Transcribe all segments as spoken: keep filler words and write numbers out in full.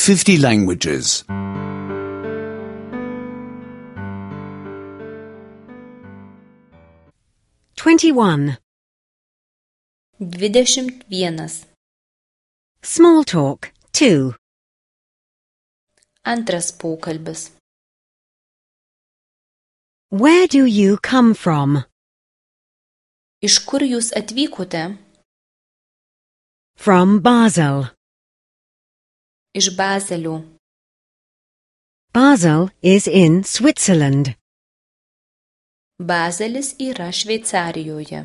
fifty languages. twenty-one. Dvidešimt vienas. Small talk, two. Antras pokalbis. Where do you come from? Iš kur jūs atvykote? From Basel. Iš Bazelio. Basel is in Switzerland. Bazelis yra Šveicarijoje.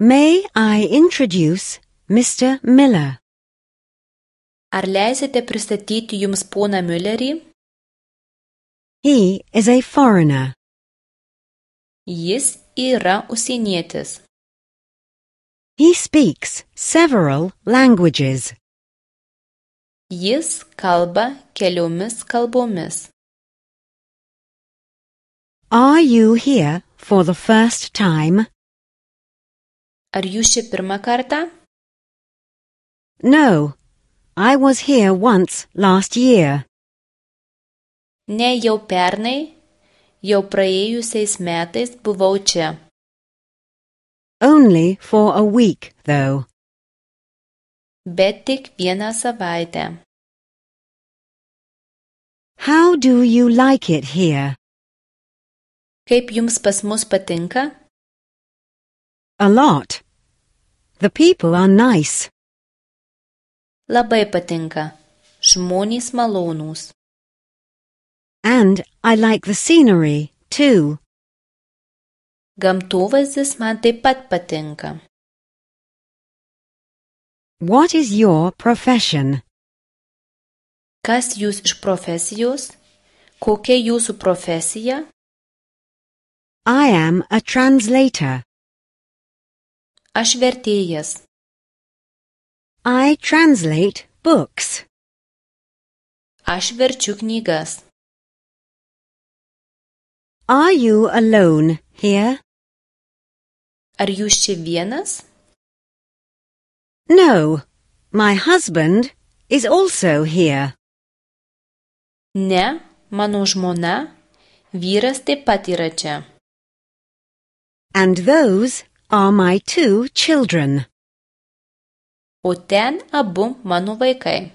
May I introduce Mister Miller? Ar leisite pristatyti jums poną Müllerį? He is a foreigner. Jis yra užsienietis. He speaks several languages. Jis kalba keliomis kalbomis. Are you here for the first time? Ar jūs čia pirmą kartą? No, I was here once last year. Ne, jau pernai, jau praėjusiais metais buvau čia. Only for a week, though. Bet tik vieną savaitę. How do you like it here? Kaip jums pas mus patinka? A lot. The people are nice. Labai patinka. Žmonės malonūs. And I like the scenery, too. Gamtovaizdis man taip pat patinka. What is your profession? Kas jūs iš profesijos? Kokia jūsų profesija? I am a translator. Aš vertėjas. I translate books. Aš verčiu knygas. Are you alone here? Ar jūs čia vienas? No, my husband is also here. Ne, mano žmona, vyras taip pat yra čia. And those are my two children. O ten abu mano vaikai.